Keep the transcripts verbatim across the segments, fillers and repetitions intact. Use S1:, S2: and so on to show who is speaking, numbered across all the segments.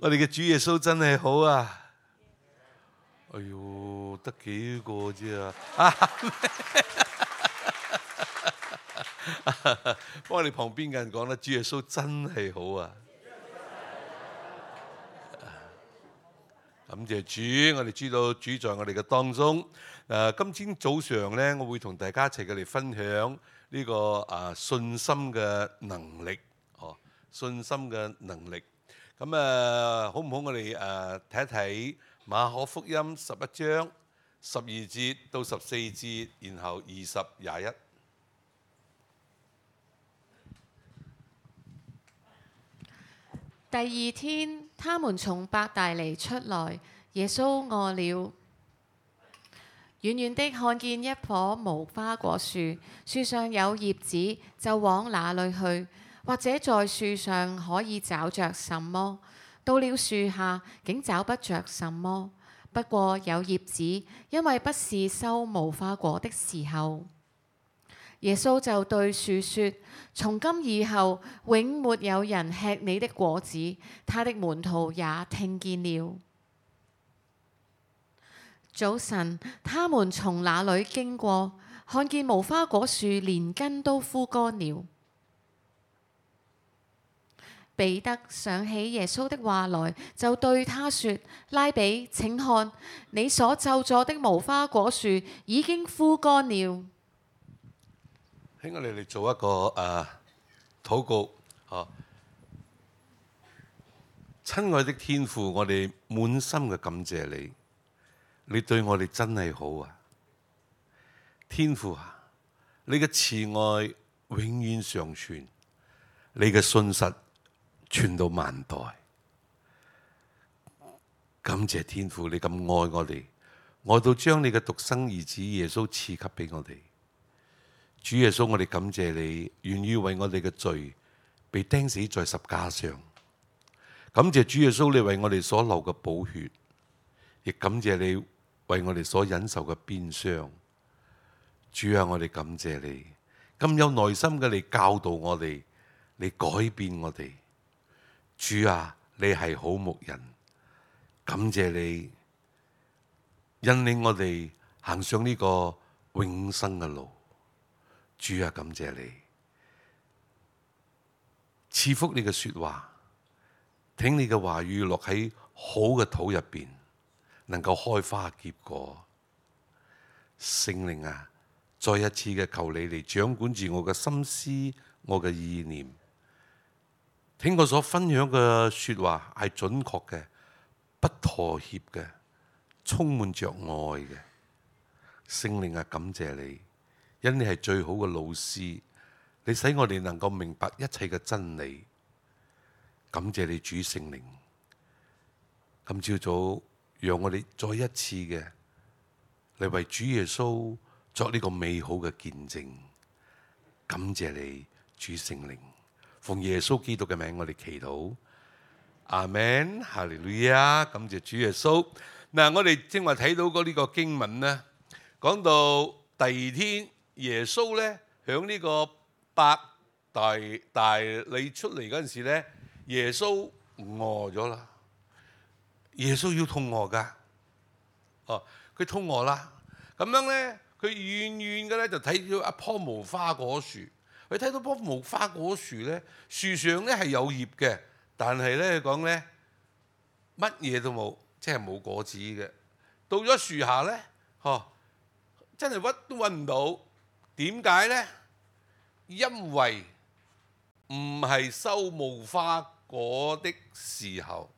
S1: 我哋嘅主耶穌真係好啊！哎呦，得幾個啫啊！幫我哋旁邊嘅人講啦，主耶穌真係好啊！感謝主，我哋知道主在我哋嘅當中。誒，今天早上咧，我會同大家一齊嘅嚟分享呢個啊信心嘅能力，哦，信心嘅能力。咁誒，好唔好？我哋誒睇一睇馬可福音十一章十二節到十四節，然後二十廿一。
S2: 第二天，他們從伯大尼出來，耶穌餓了。遠遠的看見一棵無花果樹，樹上有葉子，就往那裏去，或者在樹上可以找着什麼。到了樹下，竟找不着什麼，不過有葉子，因為不是收無花果的時候。耶穌就對樹說：從今以後，永沒有人吃你的果子。他的門徒也聽見了。早晨，他們從那裏經過，看見無花果樹連根都枯乾了。彼得想起耶穌的話來，就對他說：拉比，請看，你所咒詛的無花果樹已經枯乾了。
S1: 喺我哋嚟做一個誒禱告，嚇！親愛的天父，我哋滿心嘅感謝你，你對我哋真係好啊！天父啊，你嘅慈愛永遠常存，你嘅信實傳到萬代。感謝天父，你咁愛我哋，愛到將你嘅獨生兒子耶穌賜給俾我哋。主耶穌，我哋感謝你，願意為我哋嘅罪被釘死在十架上。感謝主耶穌，你為我哋所流嘅寶血，亦感謝你為我哋所忍受嘅鞭傷。主啊，我哋感謝你，咁有耐心嘅嚟教導我哋，嚟改變我哋。主啊，你係好牧人，感謝你引領我哋行上呢個永生嘅路。主啊，感謝你賜福你嘅說話，聽你嘅話語落喺好嘅土入邊，能夠開花結果。聖靈啊，再一次嘅求你嚟掌管住我嘅心思，我嘅意念。聽我所分享嘅說話係準確嘅，不妥協嘅，充滿着愛嘅。聖靈啊，感謝你。因你係最好嘅老師，你使我哋能夠明白一切嘅真理。感謝你主聖靈，今朝早讓我哋再一次嘅嚟為主耶穌作呢個美好嘅見證。感謝你主聖靈，奉耶穌基督嘅名我哋祈禱，阿們，哈利路亞，感謝主耶穌。嗱，我哋正話睇到嗰呢個經文呢，講到第二天。耶穌咧響呢個伯大大尼出嚟嗰陣時咧，耶穌餓咗啦。耶穌要肚餓噶，哦，佢肚餓啦。咁樣咧，佢遠遠嘅咧就睇到一棵無花果樹。佢睇到棵無花果樹咧，樹上咧係有葉嘅，但係咧講咧乜嘢都冇，即係冇果子嘅。到咗樹下咧，嗬，真係屈都揾唔到。點解呢？因為唔係收無花果的時候，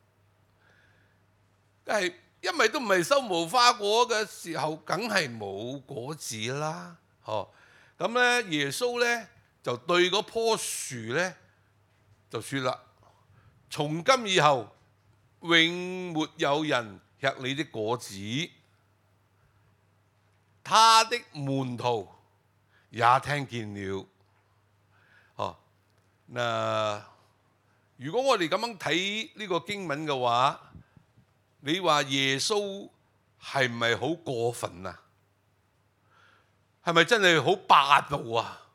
S1: 係因為都唔係收無花果嘅時候，梗係冇果子啦。哦，咁咧耶穌咧就對嗰棵樹咧就説啦：從今以後，永沒有人吃你的果子。他的門徒也聽見了。哦，嗱，如果我哋咁樣睇呢個經文嘅話，你話耶穌係唔係好過分啊？係咪真係好霸道啊？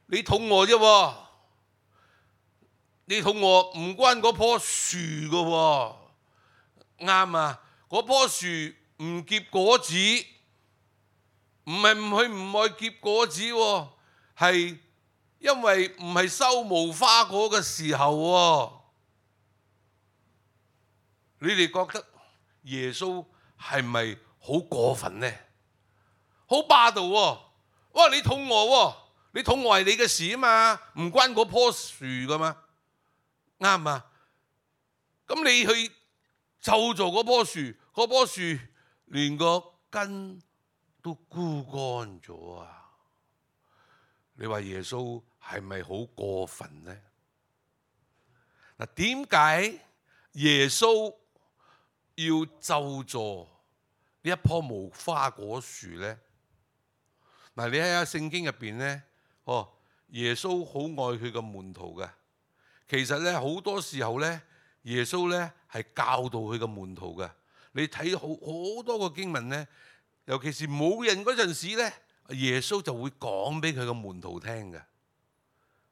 S1: 你肚餓啫喎，你肚餓唔關嗰棵樹㗎喎，啱啊！嗰棵樹唔結果子，唔係唔去唔愛結果子喎，係因為唔係收無花果嘅時候喎。你哋覺得耶穌係咪好過分呢？好霸道喎！哇！你肚餓喎，你肚餓係你嘅事啊嘛，唔關嗰棵樹噶嘛，啱啊！咁你去就做嗰棵樹，嗰棵樹連個根都枯乾咗啊！你話耶穌係咪好過分呢？嗱，點解耶穌要咒詛呢一棵無花果樹呢？嗱，你睇下聖經入邊咧，哦，耶穌好愛佢嘅門徒嘅。其實咧好多時候咧，耶穌咧係教導佢嘅門徒嘅。你睇好好多個經文咧，尤其是冇人嗰陣時咧，耶穌就會講俾佢嘅門徒聽嘅。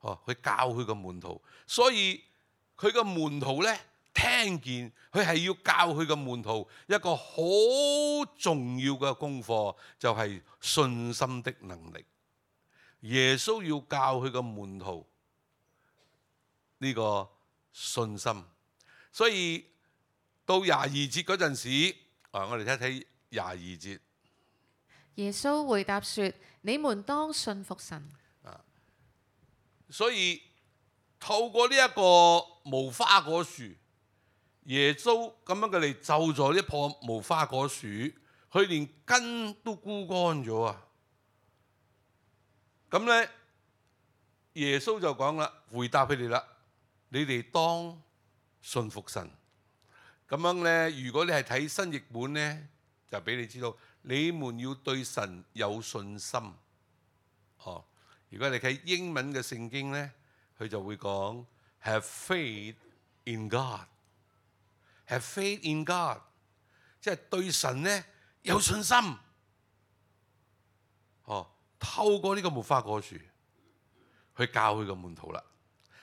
S1: 哦，佢教佢嘅門徒，所以佢嘅門徒咧聽見，佢係要教佢嘅門徒一個好重要嘅功課，就係信心的能力。耶穌要教佢嘅門徒呢個信心，所以到廿二節嗰陣時，啊，我哋睇睇廿二節。
S2: 耶穌回答說：你們當信服神。
S1: 啊，所以透過呢一個無花果樹，耶穌咁樣嘅嚟咒詛呢棵無花果樹，佢連根都枯乾咗啊！咁咧，耶穌就講啦，回答佢哋啦，你哋當信服神。咁樣咧，如果你係睇新譯本咧，就俾你知道，你們要對神有信心。哦，如果你睇英文嘅聖經咧，佢就會講 Have faith in God。Have faith in God， 即係對神咧有信心。哦，透過呢個無花果樹去教佢個門徒啦。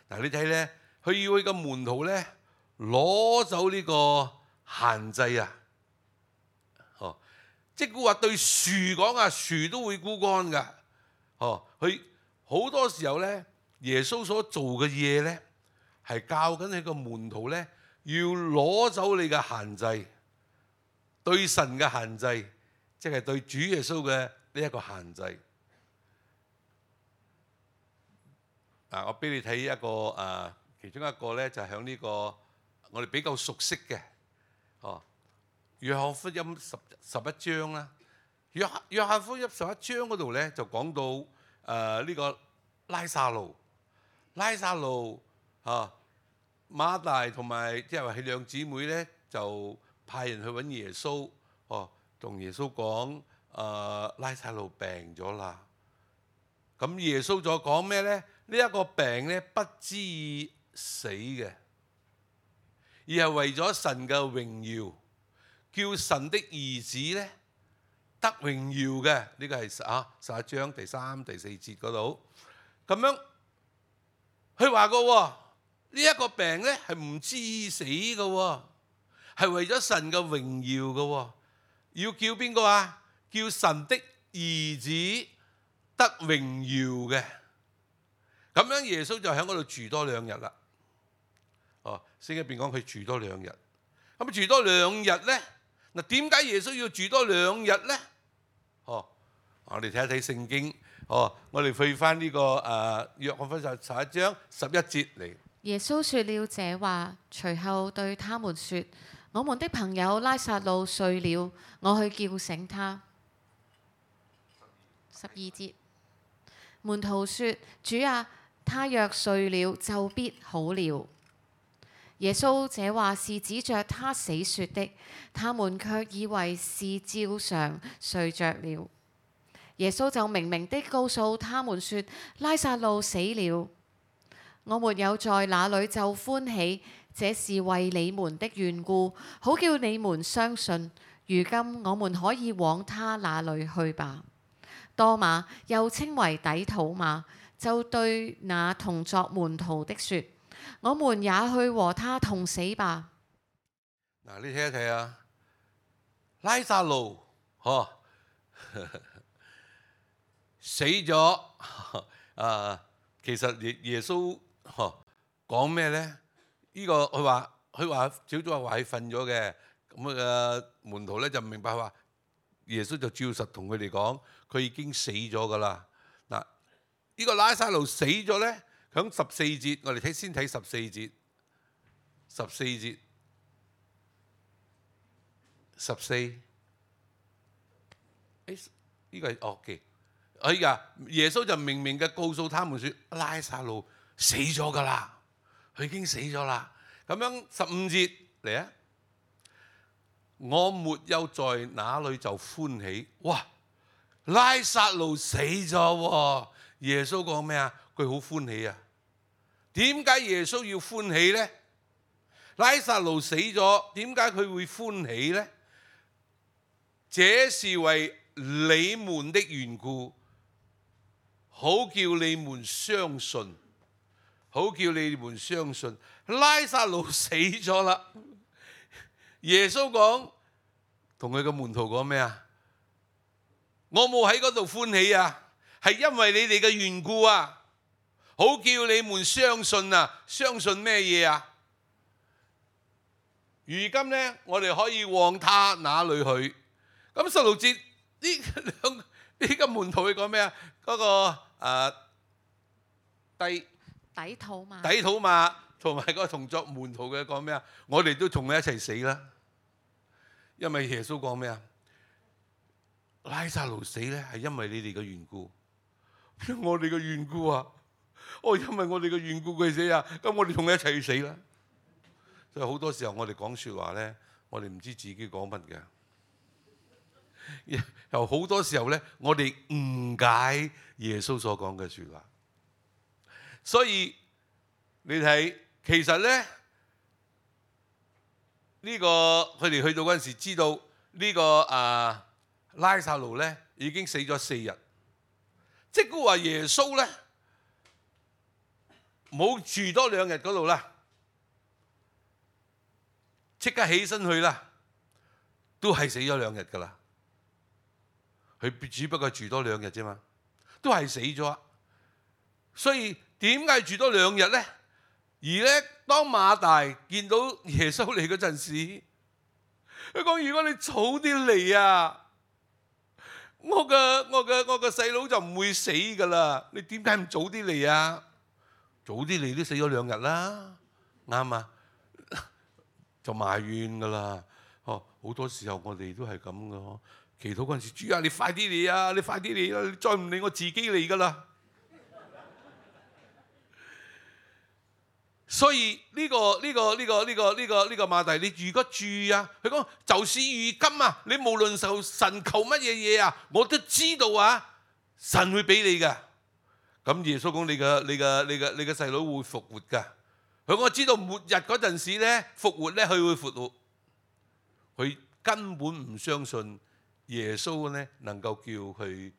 S1: 嗱，你睇咧，佢要佢個門徒咧攞走呢個限制啊。哦，即係話對樹講啊，樹都會枯乾噶。哦，佢好多時候咧，耶穌所做嘅嘢咧，係教緊佢個門徒咧。要攞走你嘅限制，對神嘅限制，即係對主耶穌嘅呢一個限制。啊，我俾你睇一個啊，其中一個咧就係響呢個我哋比較熟悉嘅，哦，約翰福音十十一章啦。約約翰福音十一章嗰度咧就講到誒呢、呃這個拉撒路，拉撒路啊。馬大同埋即係話佢兩姊妹咧，就派人去揾耶穌，哦，同耶穌講：誒、呃、拉撒路病咗啦。咁耶穌再講咩咧？呢、這、一個病咧不至於死嘅，而係為咗神嘅榮耀，叫神的兒子咧得榮耀嘅。呢、這個係啊十一章第三、第四節嗰度咁樣，佢話過喎。呢一個病咧係唔致死嘅喎，係為咗神嘅榮耀嘅喎，要叫邊個啊？叫神的兒子得榮耀嘅。咁樣耶穌就喺嗰度住多兩日啦。哦，聖經入邊講佢住多兩日。咁住多兩日咧，嗱，點解耶穌要住多兩日咧？哦，我哋睇一睇聖經。哦，我哋去翻呢個誒約翰福音十一章十一節嚟。
S2: 耶穌說了這話，隨後對他們說：我們的朋友拉撒路睡了，我去叫醒他。十二節，門徒說：主啊，他若睡了，就必好了。耶穌這話是指着他死說的，他們卻以為是照常睡着了。耶穌就明明的告訴他們說：拉撒路死了。我沒有在那裏就歡喜，這是為你們的緣故，好叫你們相信。如今我們可以往他那裏去吧。多馬又稱為底土馬，就對那同作門徒的說：我們也去和他同死吧。
S1: 嗱，你睇一睇啊，拉撒路，嗬，死咗，啊，其實耶耶穌嗬講咩咧？呢個佢話佢話小組話佢瞓咗嘅，咁啊門徒咧就唔明白話，耶穌就照實同佢哋講，佢已經死咗噶啦。嗱，呢個拉撒路死咗咧，響十四節，我哋睇先睇十四節，十四節。十四，誒呢個係惡嘅，哎呀，耶穌就明明嘅告訴他們說，拉撒路死咗噶啦，佢已經死咗啦。咁樣十五節嚟啊，我沒有在那裏就歡喜。哇，拉撒路死咗喎，耶穌講咩啊？佢好歡喜啊。點解耶穌要歡喜咧？拉撒路死咗，點解佢會歡喜咧？這是為你們的緣故，好叫你們相信，好叫你們相信。拉撒路死咗啦，耶穌講同佢嘅門徒講咩啊？我冇喺嗰度歡喜啊，係因為你哋嘅緣故啊，好叫你們相信啊。相信咩嘢啊？如今呢，我哋可以往他那裏去。咁十六節呢兩呢個門徒佢講咩啊？嗰、那個誒低
S2: 底土馬，
S1: 底土馬同埋個同作門徒嘅講咩啊？我哋都同佢一齊死啦！因為耶穌講咩啊？拉撒路死咧係因為你哋嘅緣故，我哋嘅緣故啊！哦，因為我哋嘅緣故佢死啊！咁我哋同佢一齊去死啦！所以好多時候我哋講説話咧，我哋唔知自己講乜嘅。又好多時候咧，我哋誤解耶穌所講嘅説話，所以你睇，其實咧呢個佢哋去到嗰陣時，知道呢個啊拉撒路咧已經死咗四日，即係話耶穌咧冇住多兩日嗰度啦，即刻起身去啦，都係死咗兩日噶啦。佢只不過住多兩日啫嘛，都係死咗。所以點解住多兩日咧？而咧，當馬大見到耶穌嚟嗰陣時，佢講：如果你早啲嚟啊，我嘅我嘅我嘅細佬就唔會死噶啦。你點解唔早啲嚟啊？早啲嚟都死咗兩日啦，啱啊，就埋怨噶啦。哦，好多時候我哋都係咁噶。祈禱嗰陣時，主啊，你快啲嚟啊！你快啲嚟啊！你再唔嚟，我自己嚟噶啦。所以呢個呢個呢個呢個呢個呢個馬大，你如果注意啊，佢講就是如今啊，你無論受神求乜嘢嘢啊，我都知道啊，神會俾你噶。咁耶穌講你嘅你嘅你嘅你嘅細佬會復活噶。佢講我知道末日嗰陣時咧復活咧，佢會復活。佢根本唔相信耶穌咧能夠叫佢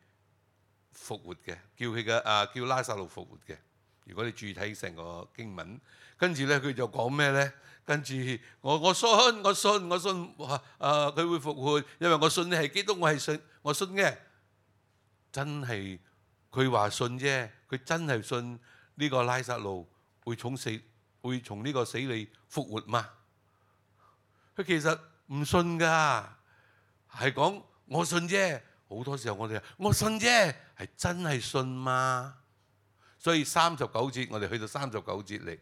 S1: 復活嘅，叫佢嘅啊叫拉撒路復活嘅。如果你注意睇成個經文，跟住咧佢就講咩咧？跟住我我信我信我信啊佢會復活，因為我信你係基督，我係信我信嘅。真係佢話信啫，佢真係信呢個拉撒路會從死會從呢個死裏復活嘛？佢其實唔信噶，係講我信啫。好多時候我哋話我信啫，係真係信嗎？所以三十九節，我哋去到三十九節嚟。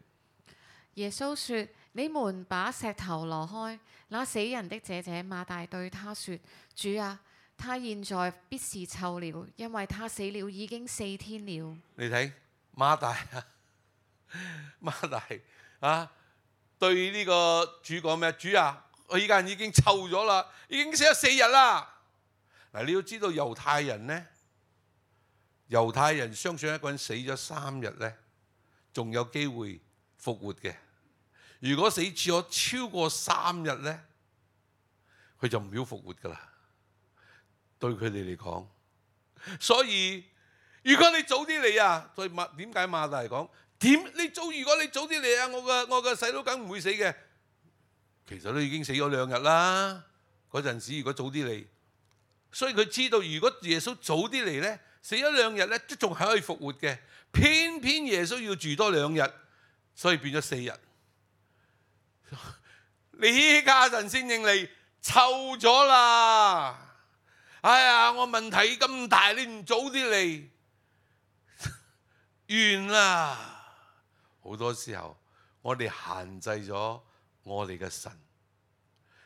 S2: 耶穌說：你們把石頭挪開。那死人的姐姐馬大對他說：主啊，他現在必是臭了，因為他死了已經四天了。
S1: 你睇馬大啊，馬大啊，對呢個主講咩？主啊，我依家已經臭咗啦，已經死咗四日啦。嗱，你要知道猶太人呢。猶太人相信一個人死咗三日咧，仲有機會復活嘅。如果死咗超過三日咧，佢就唔要復活噶啦。對佢哋嚟講，所以如果你早啲嚟啊，所以馬點解馬大講點你早？如果你早啲嚟啊，我個我個細佬梗唔會死嘅。其實都已經死咗兩日啦。嗰陣時如果早啲嚟，所以佢知道如果耶穌早啲嚟咧，死咗兩日咧都仲係可以復活嘅。偏偏耶穌要住多兩日，所以變咗四日。呢家陣先認嚟，臭咗啦！哎呀，我問題咁大，你唔早啲嚟，完啦！好多時候我哋限制咗我哋嘅神，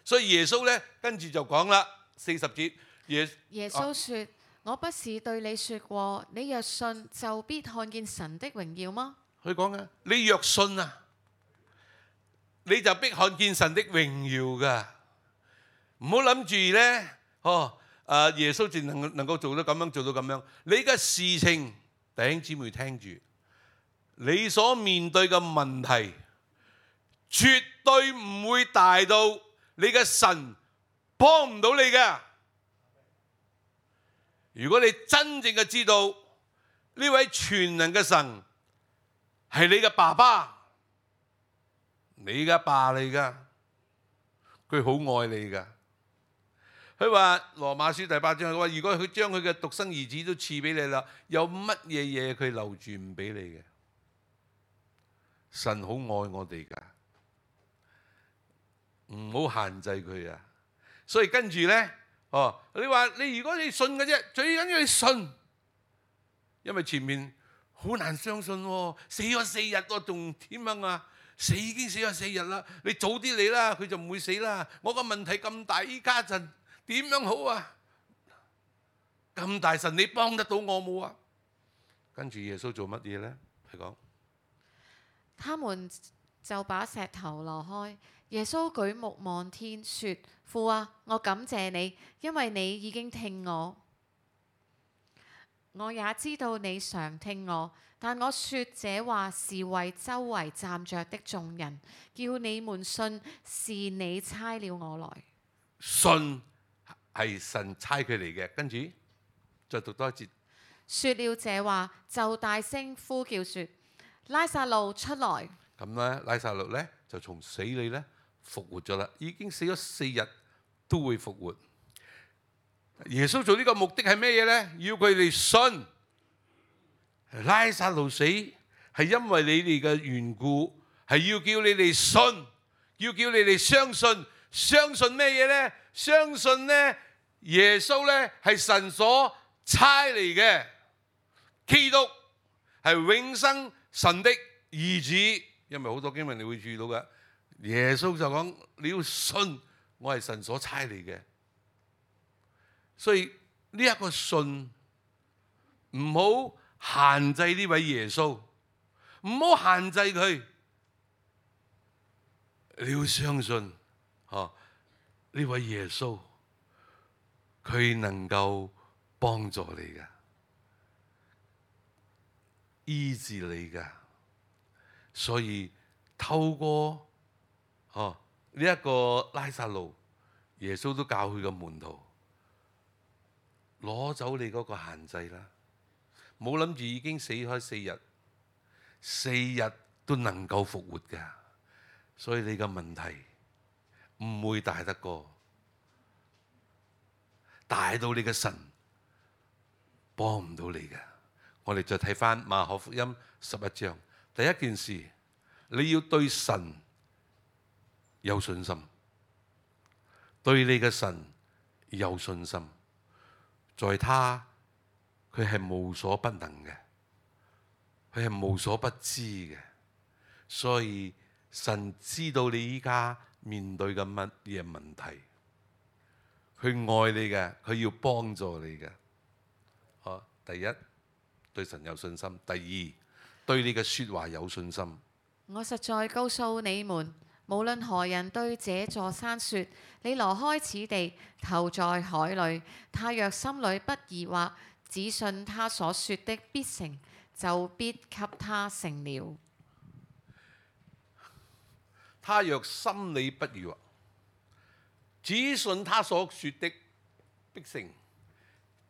S1: 所以耶穌咧跟住就講啦，四十節，耶
S2: 耶穌說：啊、我不是對你說過，你若信就必看見神的榮耀嗎？
S1: 佢講嘅，你若信啊，你就必看見神的榮耀噶。唔好諗住咧，哦，啊耶穌淨能能夠做到咁樣，做到咁樣。你嘅事情，弟兄姊妹聽住，你所面對嘅問題，絕對唔會大到你嘅神幫唔到你嘅。如果你真正嘅知道呢位全能嘅神係你嘅爸爸，你嘅爸嚟噶，佢好愛你噶。佢話羅馬書第八章，佢話如果佢將佢嘅獨生兒子都賜俾你啦，有乜嘢嘢佢留住唔俾你嘅？神好愛我哋噶，唔好限制佢啊！所以跟住咧，哦，你話你如果你信嘅啫，最緊要你信，因為前面好難相信喎，死咗四日喎，仲點樣啊？死已經死咗四日啦，你早啲嚟啦，佢就唔會死啦。我個問題咁大，依家陣點樣好啊？咁大神，你幫得到我冇啊？跟住耶穌做乜嘢咧？佢講，
S2: 他們就把石頭挪開。耶穌舉目望天，說：父啊，我感謝你，因為你已經聽我。我也知道你常聽我，但我說這話是為周圍站着的眾人，叫你們信是你差了我來。
S1: 信係神差佢嚟嘅，跟住再讀多一節。
S2: 說了這話，就大聲呼叫說：拉撒路出來！
S1: 咁咧，拉撒路咧就從死裏咧復活咗啦，已經死咗四日都會復活。耶穌做呢個目的係咩嘢咧？要佢哋信。拉撒路死係因為你哋嘅緣故，係要叫你哋信，要叫你哋相信。相信咩嘢咧？相信咧耶穌咧係神所差嚟嘅，基督係永生神的兒子。因為好多經文你會注意到嘅，耶穌就講你要信我係神所差嚟嘅。所以呢一個信唔好限制呢位耶穌，唔好限制佢。你要相信，嗬，呢位耶穌佢能夠幫助你噶，醫治你噶。所以透過嗬呢一個拉撒路，耶穌都教佢個門徒攞走你嗰個限制啦，冇諗住已經死開四日，四日都能夠復活噶。所以你嘅問題唔會大得過，大到你嘅神幫唔到你嘅。我哋再睇翻馬可福音十一章。第一件事，你要對神有信心，對你嘅神有信心，在他佢係無所不能嘅，佢係無所不知嘅，所以神知道你依家面對嘅乜嘢問題，佢愛你嘅，佢要幫助你嘅。好，第一，對神有信心；第二，對你嘅說話有信心。
S2: 我實在告訴你們，無論何人對這座山說：你挪開此地，投在海裏，他若心裏不疑惑，只信他所說的必成，就必給他成了。
S1: 他若心裏不疑惑，只信他所說的必成，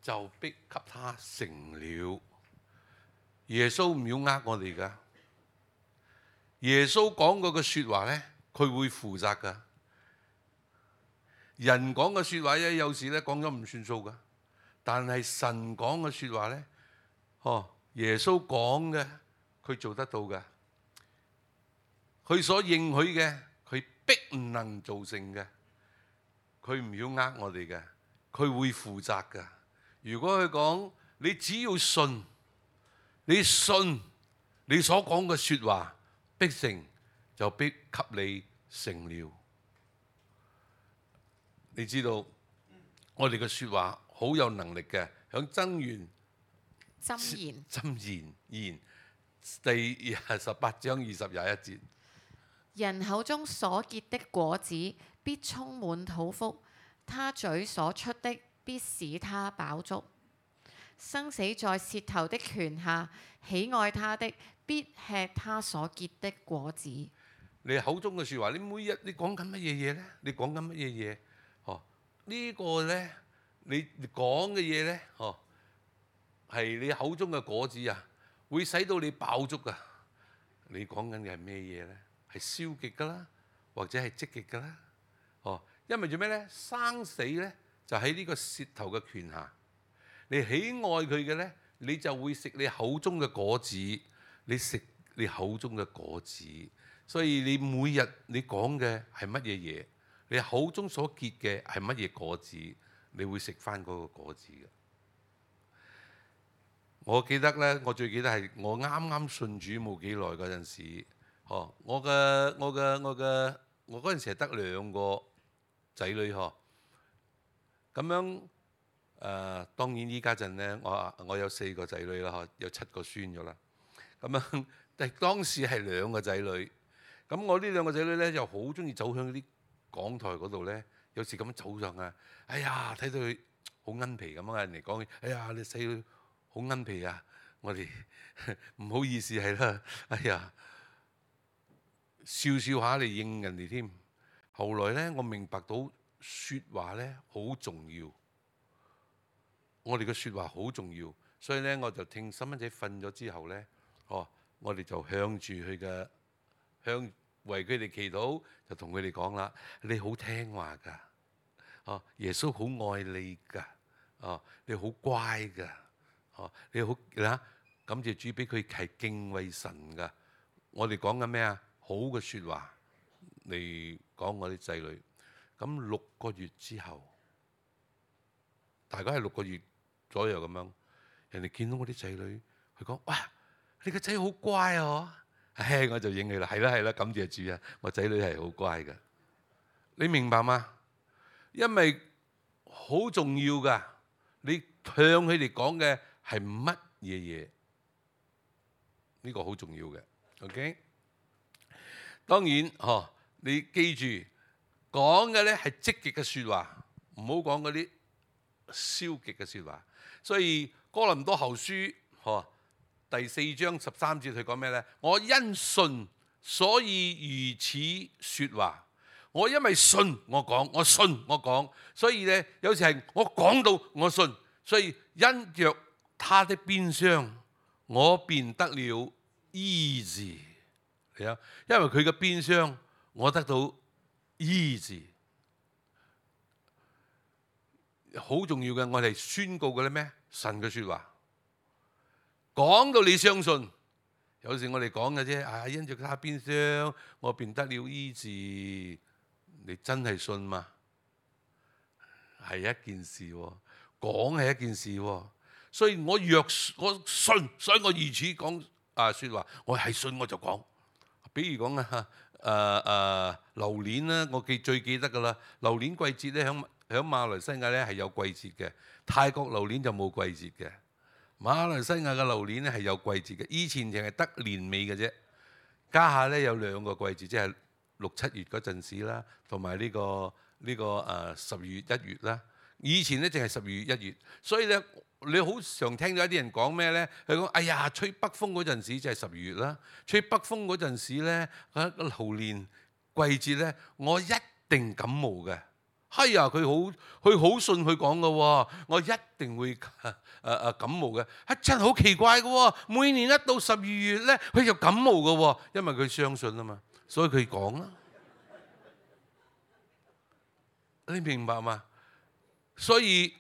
S1: 就必給他成了。耶穌唔要呃我哋噶，耶穌講過嘅説話咧，佢會負責噶。人講嘅説話咧，有時咧講咗唔算數噶。但係神講嘅説話咧，哦，耶穌講嘅，佢做得到嘅。佢所應許嘅，佢必唔能做成嘅。佢唔要呃我哋嘅，佢會負責噶。如果佢講，你只要信，你信你所講嘅説話，必成就必給你成了。你知道我哋嘅説話好有能力嘅，響箴言
S2: 箴言
S1: 箴言言第十八章二十廿一節。
S2: 人口中所結的果子必充滿肚腹，他嘴所出的必使他飽足。生死在舌頭的權下，喜愛他的必吃他所結的果子。
S1: 你口中嘅説話，你每日你講緊乜嘢嘢咧？你講緊乜嘢嘢？哦，呢個咧，你講嘅嘢咧，哦，係你口中嘅果子啊，會使到你飽足啊！你講緊嘅係咩嘢咧？係消極噶啦，或者係積極噶啦。哦，因為做咩咧？生死咧就喺呢個舌頭嘅權下。你喜愛佢嘅咧，你就會食你口中嘅果子。你食你口中嘅果子，所以你每日你講嘅係乜嘢嘢？你口中所結嘅係乜嘢果子？你會食翻嗰個果子嘅。我記得咧，我最記得係我啱啱信主冇幾耐嗰陣時，哦，我嘅我嘅我嘅我嗰陣時係得兩個仔女嗬，咁樣誒、呃，當然依家陣咧，我我有四個仔女啦，嗬，有七個孫咗啦。咁樣，但係當時係兩個仔女。咁我呢兩個仔女咧，又好中意走向啲講台嗰度咧，有時咁樣走上啊，哎呀，睇到佢好奀皮咁啊！人哋講，哎呀，你細女好奀皮啊！我哋唔好意思係啦，哎呀，笑笑下嚟應人哋添。後來咧，我明白到説話咧好重要，我哋嘅説話好重要，所以咧我就聽細蚊仔瞓咗之後咧。哦，我哋就向住佢嘅，向為佢哋祈禱，就同佢哋講啦：你好聽話㗎，哦，耶穌好愛你㗎，哦，你好乖㗎，哦，你好嗱，感謝主俾佢係敬畏神㗎。我哋講緊咩啊？好嘅説話嚟講我啲仔女。咁六個月之後，大概係六個月左右咁樣，人哋見到我啲仔女，佢講：哇！你個仔好乖啊！唉，我就應佢啦，係啦係啦，感謝主啊！我仔女係好乖㗎，你明白嗎？因為好重要㗎，你向佢哋講嘅係乜嘢嘢？呢個好重要嘅 ，OK？ 當然，嗬，你記住講嘅咧係積極嘅説話，唔好講嗰啲消極嘅説話。所以哥林多後書，嗬。第四章十三節佢講咩咧？我因信所以如此説話。我因為信我講，我信我講，所以咧有時係我講到我信，所以因着他的鞭傷，我便得了醫治。係啊，因為佢嘅鞭傷，我得到醫治。好重要嘅，我哋宣告嘅咧咩？神嘅説話。講到你相信，有時我哋講嘅啫，啊，因着他鞭傷，我便得了醫治。你真係信嗎？係一件事喎，講係一件事喎。所以我若我信，所以我如此講啊説話，我係信我就講。比如講啊，誒誒榴蓮啦，我記最記得㗎啦。榴蓮季節咧，響響馬來西亞咧係有季節嘅，泰國榴蓮就冇季節嘅。馬來西亞嘅榴蓮咧係有季節嘅，以前淨係得年尾嘅啫，家下咧有兩個季節，即係六七月嗰陣時啦，同埋呢個呢、這個誒十二月一月啦。以前咧淨係十二月一月，所以咧你好常聽到一啲人講咩咧？佢講：哎呀，吹北風嗰陣時就係十二月啦，吹北風嗰陣時咧，嗰個榴蓮季節咧，我一定感冒嘅。係啊，佢好佢好信佢講嘅喎，我一定會誒誒、呃、感冒嘅。係真係好奇怪嘅喎，每年一到十二月咧，佢就感冒嘅喎，因為佢相信啊嘛，所以佢講啦。你明白嘛？所以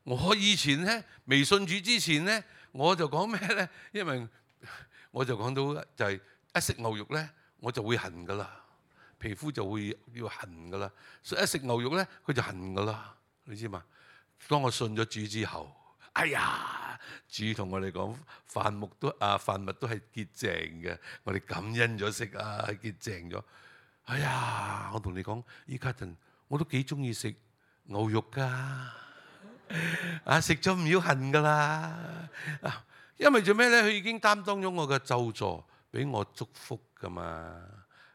S1: 我以前咧未信主之前咧，我就講咩咧？因為我就講到就係一食牛肉咧，我就會痕噶啦，皮膚就會要痕噶啦。所以一食牛肉咧，佢就痕噶啦，你知嘛？當我信咗主之後，哎呀，主同我哋講飯目都啊飯物都係潔淨嘅，我哋感恩咗食啊，潔淨咗。哎呀，我同你講，依家陣我都幾中意食牛肉噶，啊食咗唔要恨噶啦，因為做咩咧？佢已經擔當咗我嘅咒詛，俾我祝福噶嘛，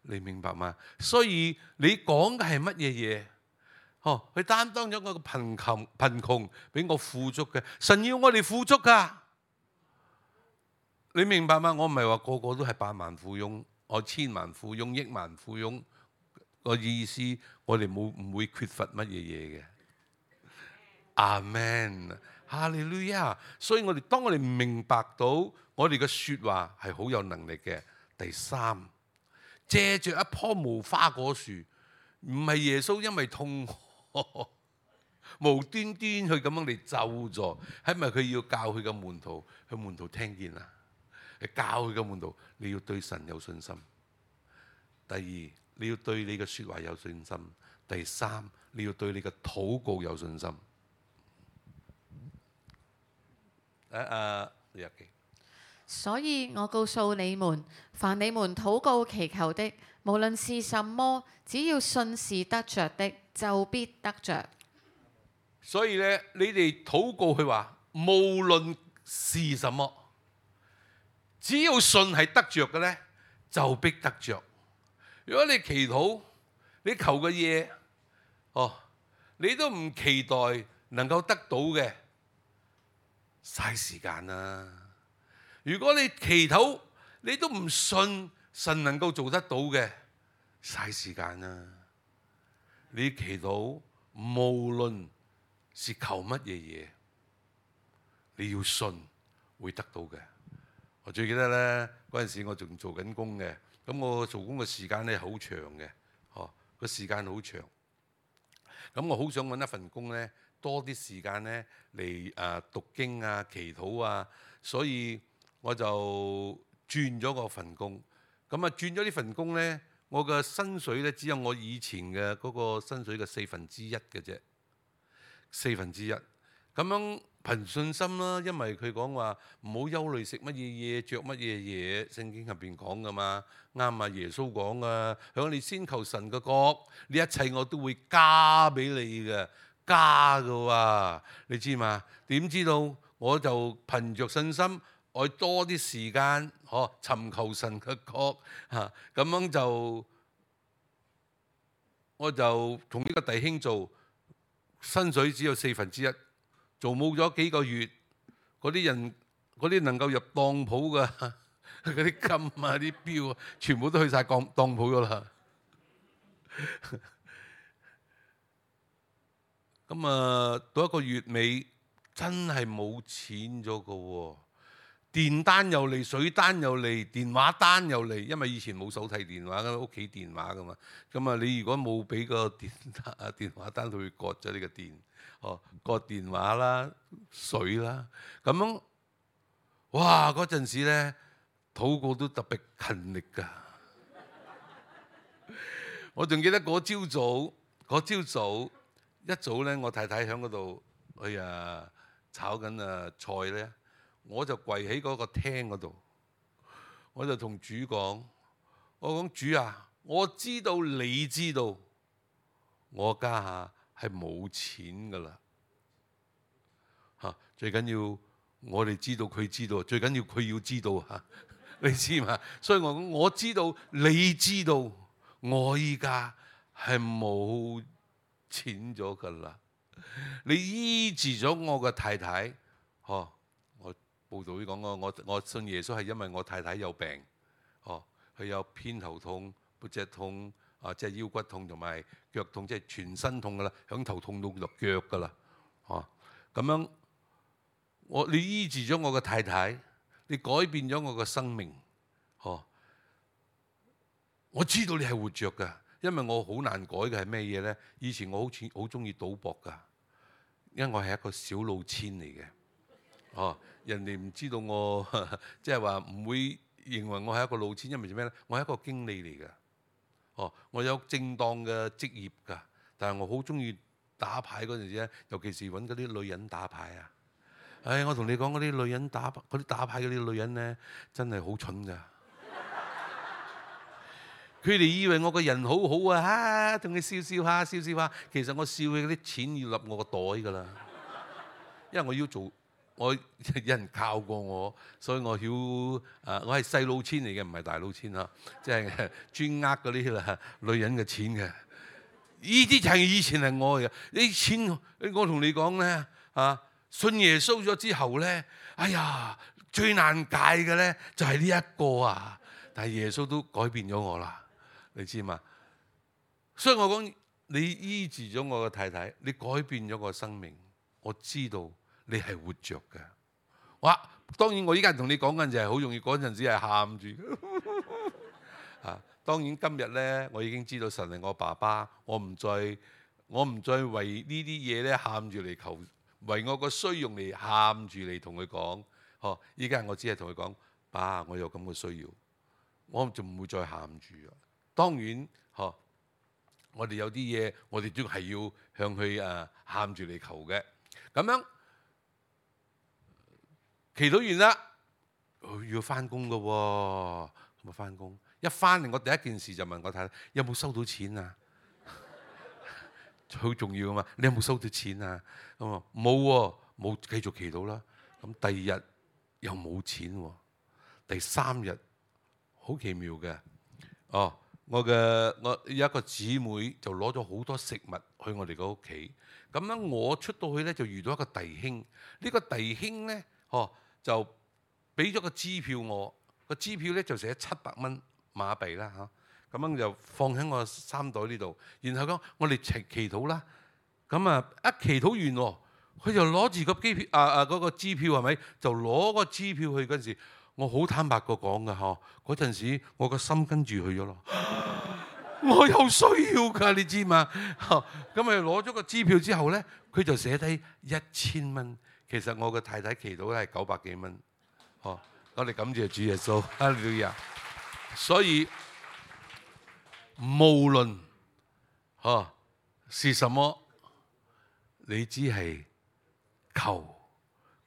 S1: 你明白嗎？所以你講嘅係乜嘢嘢？哦，佢擔當咗我嘅貧窮，貧窮俾我富足嘅。神要我哋富足噶，你明白嗎？我唔係話個個都係百萬富翁。我千萬富翁、億萬富翁個意思，我哋冇唔會缺乏乜嘢嘢嘅。阿們，哈利路亞。所以我哋當我哋明白到我哋嘅説話係好有能力嘅。第三，借着一棵無花果樹，唔係耶穌因為痛無端端去咁樣嚟咒詛，係咪佢要教佢嘅門徒？佢門徒聽見啦。教佢嘅門徒，你要對神有信心。第二，你要對你嘅説話有信心。第三，你要對你嘅禱告有信心。誒誒，日記。
S2: 所以我告訴你們，凡你們禱告祈求的，無論是什麼，只要信是得着的，就必得着。
S1: 所以咧，你哋禱告佢話，無論是什麼。只要信係得着嘅咧，就必得着。如果你祈禱，你求嘅嘢，哦，你都唔期待能夠得到嘅，嘥時間啦。如果你祈禱，你都唔信神能夠做得到嘅，嘥時間啦。你祈禱，無論是求乜嘢嘢，你要信會得到嘅。我最記得咧，嗰陣時我仲做緊工嘅，咁我做工嘅時間咧好長嘅，哦，個時間好長。咁我好想揾一份工咧，多啲時間咧嚟誒讀經啊、祈禱啊，所以我就轉咗個份工。咁啊轉咗呢份工咧，我嘅薪水咧只有我以前嘅嗰個薪水嘅四分之一嘅啫，四分之一。咁樣憑信心啦，因為佢講話唔好憂慮食乜嘢嘢、着乜嘢嘢，聖經入邊講噶嘛，啱啊！耶穌講噶，響你先求神嘅國，呢一切我都會加俾你嘅，加嘅喎，你知嘛？點知道我就憑着信心，愛多啲時間，嗬，尋求神嘅國嚇，咁樣就我就同呢個弟兄做，薪水只有四分之一。做冇咗幾個月，嗰啲人嗰啲能夠入當鋪嘅嗰啲金啊、啲錶啊，全部都去晒當當鋪噶啦。咁啊，到一個月尾真係冇錢咗個喎，電單又嚟，水單又嚟，電話單又嚟，因為以前冇手提電話㗎，屋企電話噶嘛。咁啊，你如果冇俾個電啊電話單，佢會割咗你個電。哦，個電話啦、水啦，咁樣，哇！嗰陣時咧，禱告都特別勤力㗎。我仲記得嗰朝早，嗰朝早一早咧，我太太喺嗰度，哎呀炒緊啊菜咧，我就跪喺嗰個廳嗰度，我就同主講：我講主啊，我知道你知道，我家下係冇錢噶啦，嚇！最緊要我哋知道佢知道，最緊要佢要知道嚇，你知嘛？所以我講我知道你知道，我依家係冇錢咗噶啦。你醫治咗我嘅太太，嗬！我報道會講過，我我信耶穌係因為我太太有病，哦，佢有偏頭痛、背脊痛。啊，即係腰骨痛同埋腳痛，即係全身痛噶啦，響頭痛到落腳噶啦，哦，咁樣我你醫治咗我個太太，你改變咗我個生命，哦，我知道你係活着噶，因為我好難改嘅係咩嘢咧？以前我好似好中意賭博噶，因為我係一個小老千嚟嘅，哦，人哋唔知道我即係話唔會認為我係一個老千，因為做咩咧？我係一個經理嚟嘅。哦，我有正當嘅職業㗎，但係我好中意打牌嗰陣時咧，尤其是揾嗰啲女人打牌啊！唉、哎，我同你講嗰啲女人打嗰啲打牌嗰啲女人咧，真係好蠢㗎。佢哋以為我個人好好啊，同佢笑笑下笑笑下，其實我笑佢啲錢要入我個袋㗎啦，因為我要做。我有人教過我，所以我曉誒、呃，我係細老千嚟嘅，唔係大老千嚇，即係專呃嗰啲啦女人嘅錢嘅。呢啲就係以前係我嘅，呢啲錢我同你講咧啊，信耶穌咗之後咧，哎呀最難戒嘅咧就係呢一個啊，但係耶穌都改變咗我啦，你知嘛？所以我講你醫治咗我嘅太太，你改變咗我生命，我知道。你係活着嘅，哇！當然我依家同你講緊就係好容易嗰陣時係喊住啊。當然今日咧，我已經知道神係我爸爸，我唔再我唔再為呢啲嘢咧喊住嚟求，為我個需用嚟喊住嚟同佢講。呵，依家我只係同佢講，爸，我有咁嘅需要，我就唔會再喊住啊。當然，呵，我哋有啲嘢，我哋都係要向佢誒喊住嚟求嘅，咁樣。祈禱完啦，要翻工噶喎，咁啊翻工。一翻嚟，我第一件事就問我太太有冇收到錢啊？好重要啊嘛！你有冇收到錢啊？咁啊冇喎，冇，繼續祈禱啦。咁第二日又冇錢喎，第三日好奇妙嘅。哦，我嘅我有一個姊妹就攞咗好多食物去我哋個屋企。咁樣我出到去咧就遇到一個弟兄，呢個弟兄咧，哦。就俾咗個支票我，個支票咧就寫七百蚊馬幣啦嚇，咁樣就放喺我衫袋呢度。然後講我哋祈祈禱啦，咁啊一祈禱完喎，佢就攞住個機票啊啊嗰個支票係咪？就攞個支票去嗰陣時，我好坦白個講㗎嗬，嗰陣時我個心跟住去咗咯，我有需要㗎，你知嘛？咁咪攞咗個支票之後咧，佢就寫低一千蚊。其實我嘅太太祈禱係九百幾蚊，哦，我哋感謝主耶穌，哈利路亞。所以無論哦是什麼，你只係求，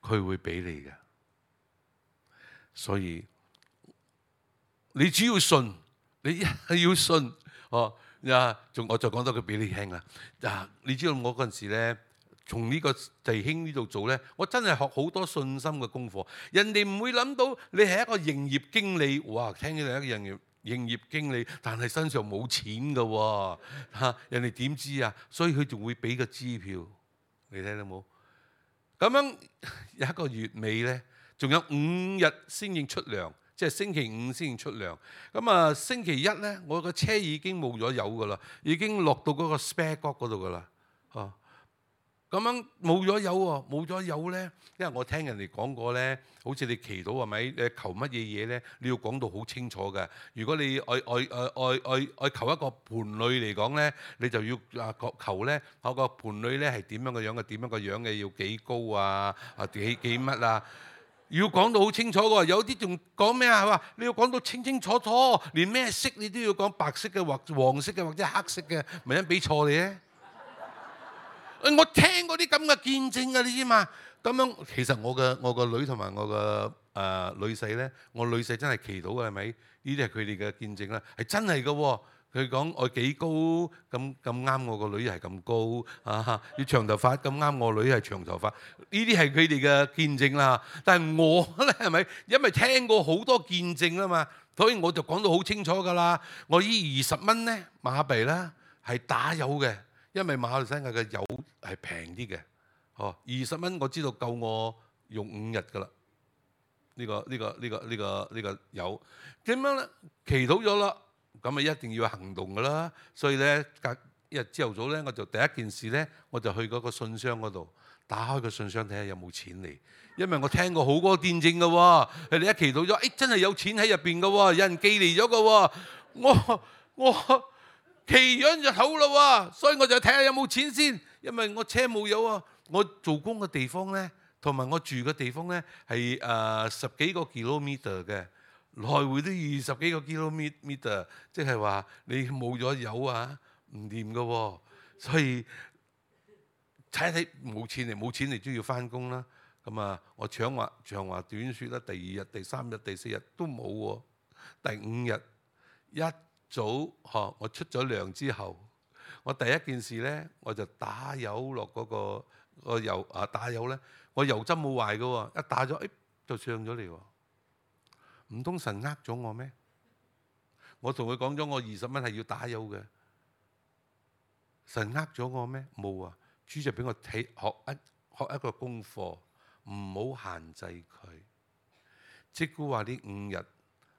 S1: 佢會俾你嘅。所以你只要信，你係要信，哦呀，仲我再講多句俾你聽啦。啊，你知道我嗰陣時咧。從呢個弟兄呢度做呢，我真係學好多信心嘅功課。人哋唔會諗到你係一個營業經理，哇！聽起嚟一個營業營業經理，但係身上冇錢㗎喎，嚇人哋點知啊？所以佢仲會俾個支票，你睇到冇？咁樣有一個月尾呢，仲有五日先至出糧，即係星期五先至出糧。咁啊，星期一呢，我個車已經冇咗油㗎啦，已經落到嗰個 spare 角嗰度㗎啦，哦。咁樣冇咗油喎，冇咗油咧，因為我聽人哋講過咧，好似你祈禱係咪？你求乜嘢嘢咧？你要講到好清楚嘅。如果你愛愛愛愛愛愛求一個伴侶嚟講咧，你就要啊求咧，嗰個伴侶咧係點樣嘅樣嘅？點樣嘅樣嘅？要幾高啊？啊幾幾乜啊？要講到好清楚嘅。有啲仲講咩啊？話你要講到清清楚楚，連咩色你都要講白色嘅或黃色嘅或者黑色嘅，咪因俾錯你咧？我聽過啲咁嘅見證啊，你知嘛？咁樣其實我嘅我個女同埋我個誒女婿咧，我女婿真係祈禱嘅係咪？呢啲係佢哋嘅見證啦，係真係嘅喎。佢講我幾高咁咁啱，我個女係咁高啊！要長頭髮咁啱，我女係長頭髮。呢啲係佢哋嘅見證啦。但係我咧係咪？因為聽過好多見證啦嘛，所以我就講到好清楚㗎啦。我依二十蚊咧馬幣啦，係打油嘅。因為馬來西亞嘅油係平啲嘅，哦，二十蚊我知道夠我用五日㗎啦。呢個呢個呢個呢個呢個油點樣咧？祈禱咗啦，咁啊一定要行動噶啦。所以咧，隔一日朝頭早咧，我就第一件事咧，我就去嗰個信箱嗰度打開個信箱睇下有冇錢嚟，因為我聽過好多見證嘅喎，佢哋一祈禱咗，誒、哎、真係有錢喺入邊嘅喎，有人寄嚟咗嘅喎，我我祈咗就好啦喎，所以我就睇下有冇錢先，因為我車冇油啊，我做工嘅地方咧，同埋我住嘅地方咧係誒十幾個 kilometer 嘅。來回都二十幾個 kilometer， 即係話你冇咗油啊，唔掂嘅喎。所以睇睇冇錢嚟，冇錢嚟都要翻工啦。咁啊，我長話長話短説啦，第二日、第三日、第四日都冇喎。第五日一早嗬，我出咗糧之後，我第一件事咧，我就打油落嗰、嗰個、嗰個油啊，打油咧，我油針冇壞嘅喎，一打咗，誒、哎、就上咗嚟喎。唔通神呃咗我咩？我同佢講咗，我二十蚊係要打油嘅。神呃咗我咩？冇啊！主就俾我睇學一學一個功課，唔好限制佢。即估話呢五日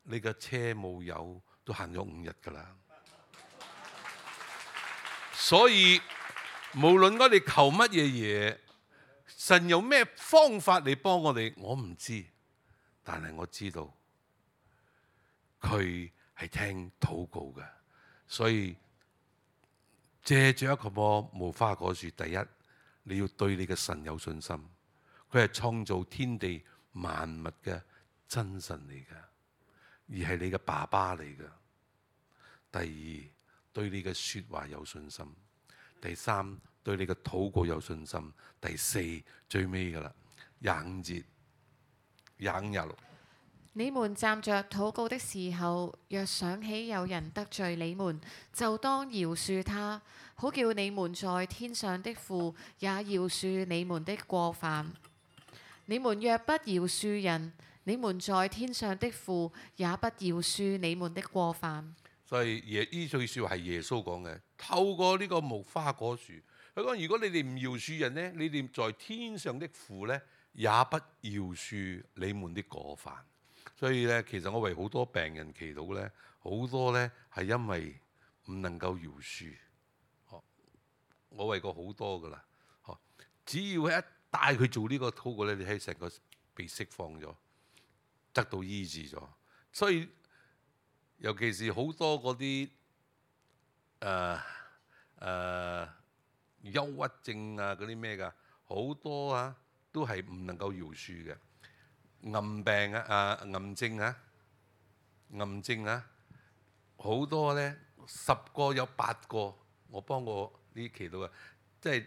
S1: 你嘅車冇油，都行咗五日㗎啦。所以無論我哋求乜嘢嘢，神有咩方法嚟幫我哋，我唔知，但係我知道。佢係聽禱告嘅，所以借住一個棵無花果樹，第一你要對你嘅神有信心，佢係創造天地萬物嘅真神嚟嘅，而係你嘅爸爸嚟嘅。第二，對你嘅說話有信心；第三，對你嘅禱告有信心；第四，最尾噶啦，廿五節廿五廿六。
S2: 你們站着禱告的時候，若想起有人得罪你們，就當饒恕他，好叫你們在天上的父也饒恕你們的過犯。你們若不饒恕人，你們在天上的父也不饒恕你們的過犯。
S1: 所以耶呢句説話係耶穌講嘅，透過呢個無花果樹，佢講：如果你哋唔饒恕人呢，你哋在天上的父呢，也不饒恕你們的過犯。所以咧，其實我為好多病人祈禱咧，好多咧係因為唔能夠饒恕。我為過好多噶啦，只要一帶佢做呢個禱告咧，你喺成個被釋放咗，得到醫治咗。所以尤其是好多嗰啲誒誒憂鬱症啊，嗰啲咩㗎，好多啊都係唔能夠饒恕嘅。癌病啊，啊癌症啊，癌症啊，好多咧，十個有八個，我幫過呢期到啊，即係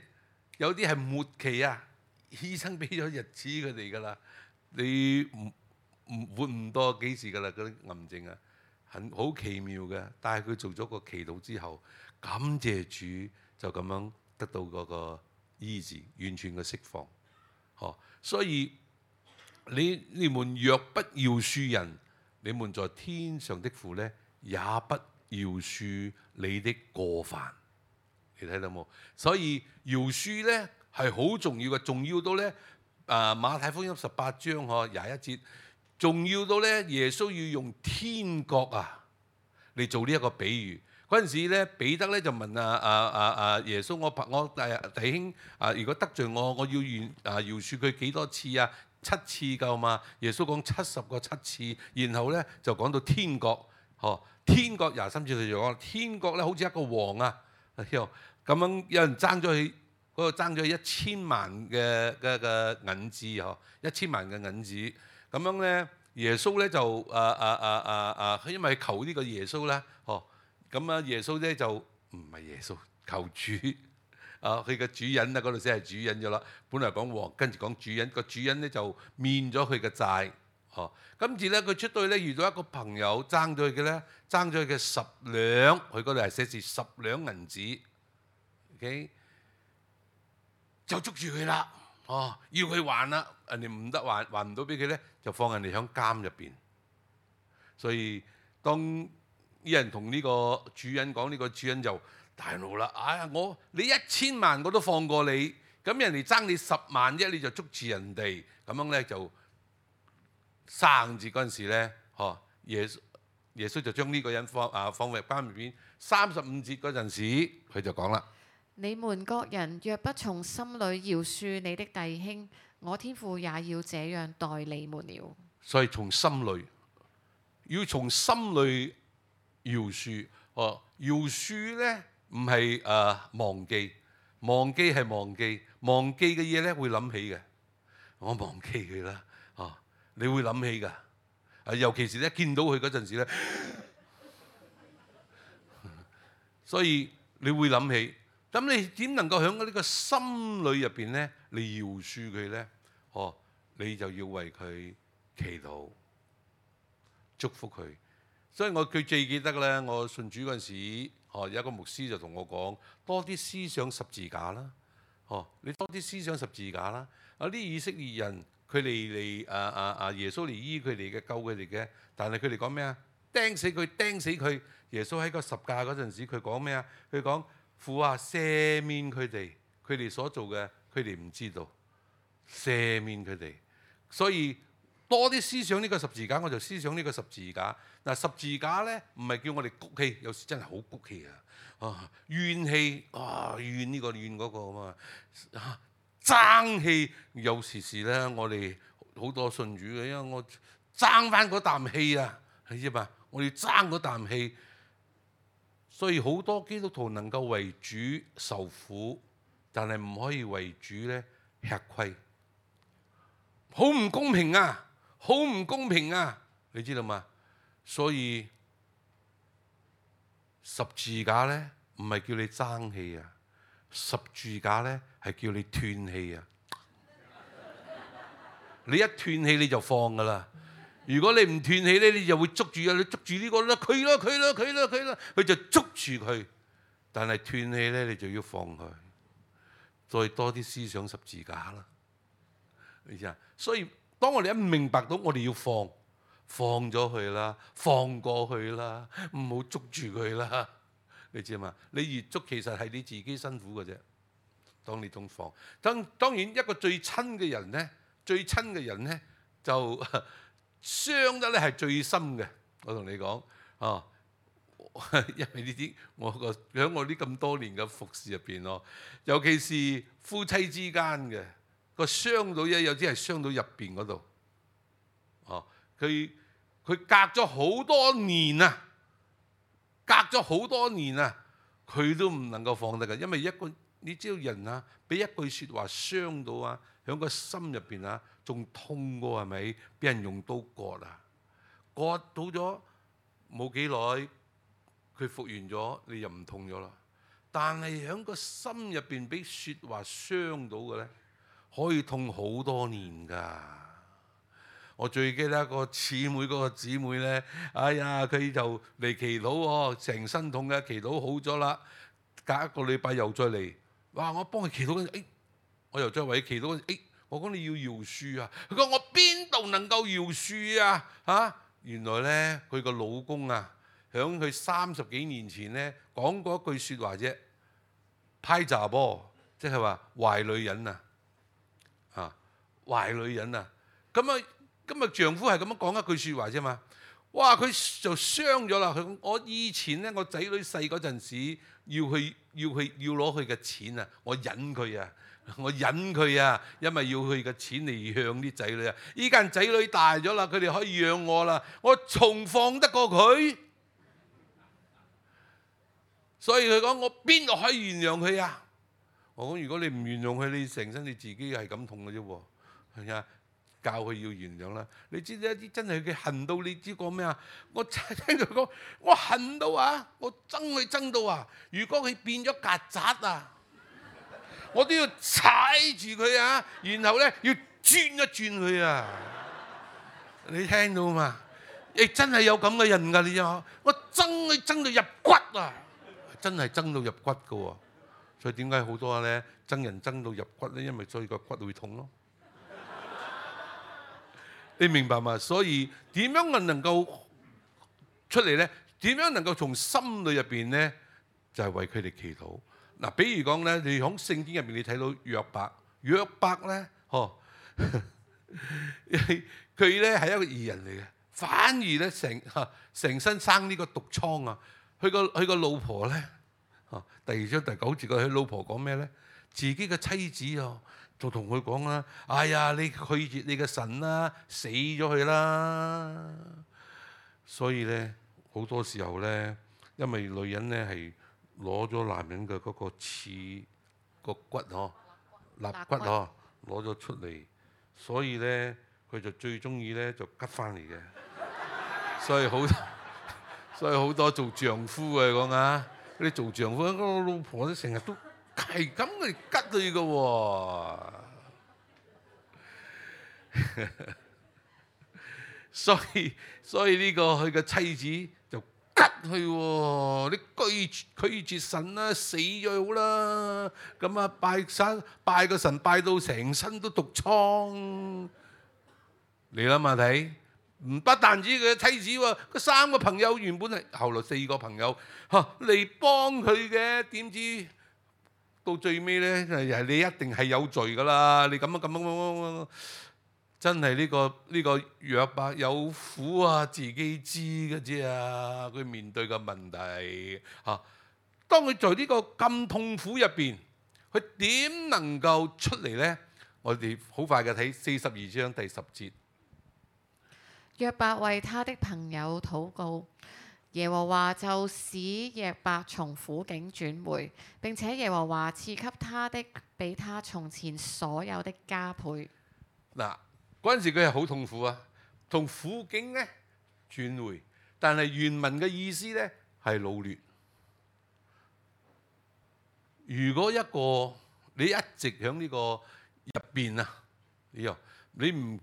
S1: 有啲係末期啊，醫生俾咗日子佢哋㗎啦，你唔唔活唔多幾時㗎啦，嗰啲癌症啊，很好奇妙嘅，但係佢做咗個祈禱之後，感謝主就咁樣得到嗰個醫治，完全嘅釋放，嗬，所以。你你們若不饒恕人，你們在天上的父呢，也不饒恕你的過犯。你睇到冇？所以饒恕呢係好重要嘅，重要到呢，啊馬太福音十八章嗬廿一節，重要到呢，耶穌要用天國啊嚟做呢一個比喻。嗰陣時咧，彼得咧就問啊啊啊啊耶穌：我我弟弟兄啊，如果得罪我，我要願啊饒恕佢幾多次啊？七次夠嘛？耶穌講七十個七次，然後咧就講到天國，嗬，天國廿三節佢就講天國咧好似一個王啊，咁樣有人爭咗佢嗰個爭咗一千萬嘅嘅嘅銀子嗬，一千萬嘅銀子，咁樣咧耶穌咧就啊啊啊啊啊，因為求呢個耶穌咧，嗬，咁啊耶穌咧就唔係耶穌求主。啊！佢嘅主人啊，嗰度先係主人咗啦。本來講王，跟住講主人，個主人咧就免咗佢嘅債。哦，跟住咧佢出到去咧遇到一個朋友爭咗佢嘅咧，爭咗佢嘅十兩，佢嗰度係寫住十兩銀子。OK，就捉住佢啦。哦，要佢還啦，人哋唔得還，還唔到俾佢咧，就放人哋響監入邊。所以當啲人同呢個主人講，呢個主人就大怒啦！哎呀，我你一千萬我都放過你，咁人哋爭你十萬啫，你就捉住人哋，咁樣咧就生節嗰陣時咧，嗬耶穌耶穌就將呢個人放啊放入監入邊。三十五節嗰陣時，佢就講啦：
S2: 你們各人若不從心裏饒恕你的弟兄，我天父也要這樣待你們了。
S1: 所以從心裏，要從心裏饒恕。哦，饒恕咧唔係誒忘記，忘記係忘記，忘記嘅嘢咧會諗起嘅。我忘記佢啦，哦，你會諗起㗎。啊，尤其是咧見到佢嗰陣時咧，所以你會諗起。咁你點能夠喺呢個心裏入邊咧，你饒恕佢咧？哦，你就要為佢祈禱，祝福佢。所以我佢最記得咧，我信主嗰陣時，哦，有一個牧師就同我講，多啲思想十字架啦。哦，你多啲思想十字架啦。啊，啲以色列人佢哋嚟啊啊啊耶穌嚟醫佢哋嘅，救佢哋嘅，但係佢哋講咩啊？釘死佢，釘死佢。耶穌喺個十架嗰陣時，佢講咩啊？佢講父啊，赦免佢哋，佢哋所做嘅，佢哋唔知道，赦免佢哋。所以多啲思想呢個十字架，我就思想呢個十字架。嗱，十字架咧唔係叫我哋谷氣，有時真係好谷氣啊！啊，怨氣啊，怨呢個怨嗰個啊嘛，啊，爭氣有時時咧，我哋好多信主嘅，因為我爭翻嗰啖氣啊，你知嘛？我要爭嗰啖氣，所以好多基督徒能夠為主受苦，但係唔可以為主咧吃虧，好唔公平啊！好唔公平啊！你知道嘛？所以十字架咧唔係叫你爭氣啊，十字架咧係叫你斷氣啊！你一斷氣你就放噶啦。如果你唔斷氣咧，你就會捉住啊！你捉住呢個啦，佢啦，佢啦，佢啦，佢啦，佢就捉住佢。但係斷氣咧，你就要放佢。再多啲思想十字架啦，你知啊？所以當我哋一明白到我哋要放，放咗佢啦，放過去啦，唔好捉住佢啦。你知嘛？你越捉其實係你自己辛苦嘅啫。當你仲放，當當然一個最親嘅人咧，最親嘅人咧就傷得咧係最深嘅。我同你講啊，因為呢啲我個喺我呢咁多年嘅服侍入邊咯，尤其是夫妻之間嘅個傷到一有啲係傷到入邊嗰度。哦，佢佢隔咗好多年啊，隔咗好多年啊，佢都唔能夠放得㗎，因為一個你知道人啊，俾一句説話傷到啊，喺個心入邊啊，仲痛過係咪？俾人用刀割啊，割到咗冇幾耐，佢復原咗，你就唔痛咗啦。但係喺個心入邊俾説話傷到嘅咧，可以痛好多年㗎。我最記得一個姊妹，嗰個姊妹咧，哎呀，佢就嚟祈禱喎，成身痛嘅，祈禱好咗啦，隔一個禮拜又再嚟，哇！我幫佢祈禱嗰陣，誒，我又再為佢祈禱嗰陣，誒，我講你要饒恕啊，佢講我邊度能夠饒恕啊？嚇！原來咧，佢個老公啊，響佢三十幾年前咧講過一句説話啫，派雜噃，即係話壞女人啊，嚇，壞女人啊，咁啊〜今日丈夫係咁樣講一句説話啫嘛，哇！佢就傷咗啦。佢講我以前咧，我仔女細嗰陣時，要去要去要攞佢嘅錢啊，我忍佢啊，我忍佢啊，因為要佢嘅錢嚟養啲仔女啊。依家仔女大咗啦，佢哋可以養我啦，我仲放得過佢？所以佢講我邊度可以原諒佢啊？我講如果你唔原諒佢，你成身你自己係咁痛嘅啫喎，係咪啊？教佢要原諒啦，你知唔知一啲真係佢恨到你知講咩啊？我聽佢講，我恨到啊，我憎佢憎到啊！如果佢變咗曱甴啊，我都要踩住佢啊，然後咧要轉一轉佢啊！你聽到嘛？亦真係有咁嘅人㗎，你知嘛？我憎佢憎到入骨啊！真係憎到入骨㗎喎，所以點解好多咧憎人憎到入骨咧？因為所以個骨會痛咯。你明白嘛？所以點樣能夠出嚟咧？點樣能夠從心裏入邊咧，就係、是、為佢哋祈禱。嗱、啊，比如講咧，你喺聖經入邊你睇到約伯，約伯咧，嗬，佢咧係一個義人嚟嘅，反而咧成成身生呢個毒瘡啊！佢個佢個老婆咧，啊第二章第九節佢老婆講咩咧？自己嘅妻子啊，就同佢講啦：哎呀，你拒絕你嘅神啦，死咗佢啦！所以咧好多時候咧，因為女人咧係攞咗男人嘅嗰個刺個骨嗬，肋骨嗬攞咗出嚟，所以咧佢就最中意咧就吉翻嚟嘅。所以好多，所以好多做丈夫嘅講啊，嗰啲做丈夫嗰個老婆咧成日都係咁嚟吉佢嘅喎。所以所以呢個佢嘅妻子就吉佢喎，你拒拒絕神啦，死咗好啦。咁啊拜神拜個神拜到成身都毒瘡，你諗下睇。唔不但止佢嘅妻子喎，嗰三個朋友原本係後來四個朋友嚇嚟幫佢嘅，點知到最尾咧係你一定係有罪噶啦！你咁樣咁樣咁樣，真係呢個呢個約伯有苦啊，自己知嘅啫啊！佢面對嘅問題嚇，當佢在呢個咁痛苦入邊，佢點能夠出嚟咧？我哋好快嘅睇四十二章第十節。
S2: 約伯為他的朋友禱告，耶和華就使約伯從苦境轉回，並且耶和華賜給他的比他從前所有的加倍。
S1: 嗱，嗰陣時佢係好痛苦啊，從苦境咧轉回，但係原文嘅意思咧係擄掠。如果一個你一直喺呢個入邊啊，你又你唔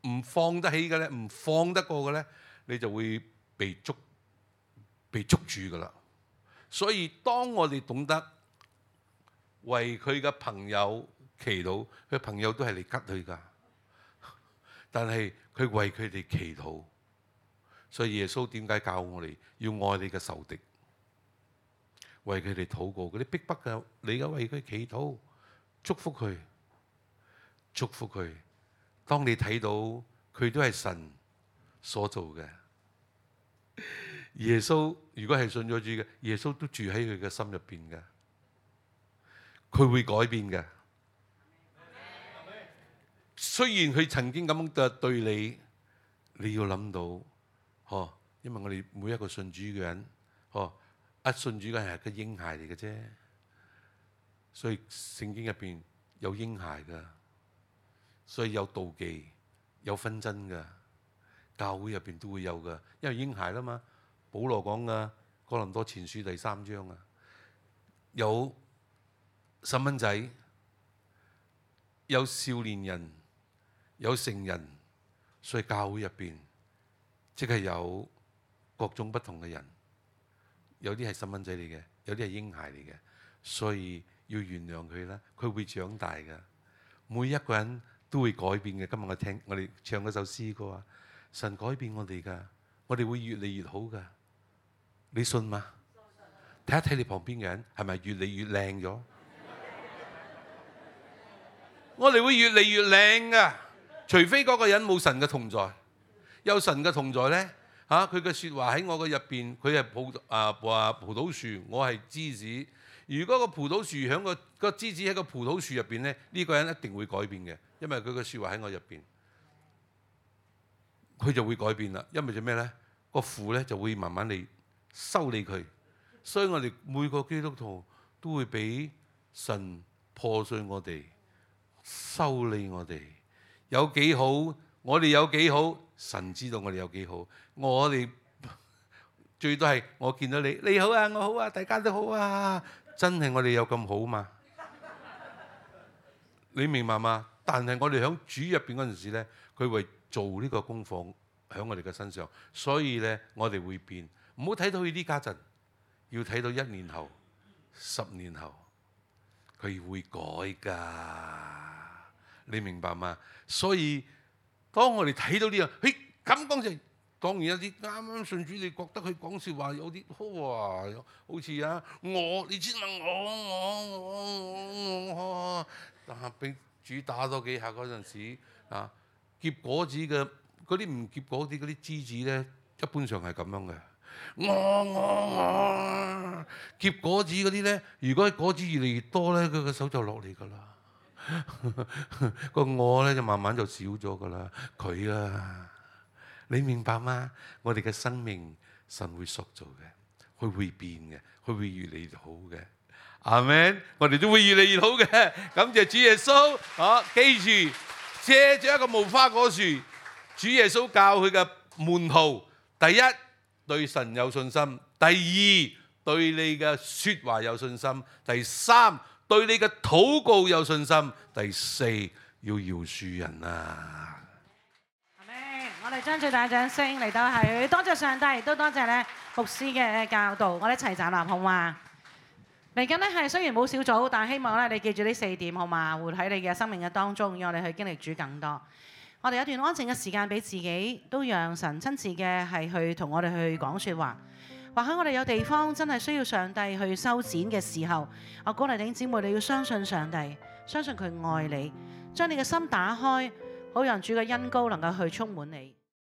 S1: 唔放得起嘅咧，唔放得過嘅咧，你就會被捉被捉住㗎啦。所以當我哋懂得為佢嘅朋友祈禱，佢朋友都係嚟吉佢㗎，但係佢為佢哋祈禱。所以耶穌點解教我哋要愛你嘅仇敵，為佢哋禱告，嗰啲逼迫嘅，你而家為佢祈禱，祝福佢，祝福佢。當你睇到佢都係神所做嘅，耶穌如果係信咗主嘅，耶穌都住喺佢嘅心入邊嘅，佢會改變嘅。雖然佢曾經咁樣對你，你要諗到，嗬，因為我哋每一個信主嘅人，嗬，一信主嘅人係個嬰孩嚟嘅啫，所以聖經入邊有嬰孩㗎。所以有妒忌、有紛爭㗎，教會入邊都會有㗎，因為嬰孩啦嘛。保羅講㗎，哥林多前書第三章啊，有細蚊仔，有少年人，有成人，所以教會入邊即係有各種不同嘅人，有啲係細蚊仔嚟嘅，有啲係嬰孩嚟嘅，所以要原諒佢啦，佢會長大㗎，每一個人都會改變嘅。今日我聽我哋唱嗰首詩歌啊，神改變我哋㗎，我哋會越嚟越好㗎。你信嗎？睇一睇你旁邊嘅人係咪越嚟越靚咗？我哋會越嚟越靚㗎，除非嗰個人冇神嘅同在。有神嘅同在咧，嚇佢嘅説話喺我嘅入邊，佢係葡啊話葡萄樹，我係枝子。如果個葡萄樹喺個個枝子喺個葡萄樹入邊咧，呢個人一定會改變嘅，因為佢嘅説話喺我入邊，佢就會改變啦。因為做咩咧？個父咧就會慢慢嚟修理佢。所以我哋每個基督徒都會俾神破碎我哋，修理我哋。有幾好，我哋有幾好，神知道我哋有幾好。我哋最多係我見到你，你好啊，我好啊，大家都好啊。真係我哋有咁好嘛？你明白嗎？但係我哋喺主入邊嗰陣時咧，佢會做呢個功課喺我哋嘅身上，所以咧我哋會變。唔好睇到佢呢家陣，要睇到一年後、十年後，佢會改㗎。你明白嗎？所以當我哋睇到呢樣，嘿咁講就當然有啲啱啱信主，你覺得佢講説話有啲哇，好似啊我，你知問我我我我，但係俾主打多幾下嗰陣時啊，結果子嘅嗰啲唔結果啲嗰啲枝子咧，一般上係咁樣嘅。我我我結果子嗰啲咧，如果果子越嚟越多咧，佢個手就落嚟㗎啦。個我咧就慢慢就少咗㗎啦。佢啊，你明白嗎？我哋嘅生命神會塑造嘅，佢會變嘅，佢會越嚟越好嘅。阿們，我哋都會越嚟越好嘅。感謝主耶穌。啊，記住借住一個無花果樹，主耶穌教佢嘅門徒，第一對神有信心，第二對你嘅説話有信心，第三對你嘅禱告有信心，第四要饒恕人啊！
S3: 阿們，我哋將最大掌聲嚟到係多謝上帝，都多謝咧牧師嘅教導。我哋一齊站立好嘛？嚟緊呢係雖然冇小組，但係希望咧你記住呢四點好嘛？活喺你嘅生命嘅當中，讓我哋去經歷主更多。我哋有一段安靜嘅時間俾自己，都讓神親自嘅係去同我哋去講説話。或許我哋有地方真係需要上帝去修剪嘅時候，我鼓勵弟兄姊妹，你要相信上帝，相信佢愛你，將你嘅心打開，好讓主嘅恩膏能夠去充滿你。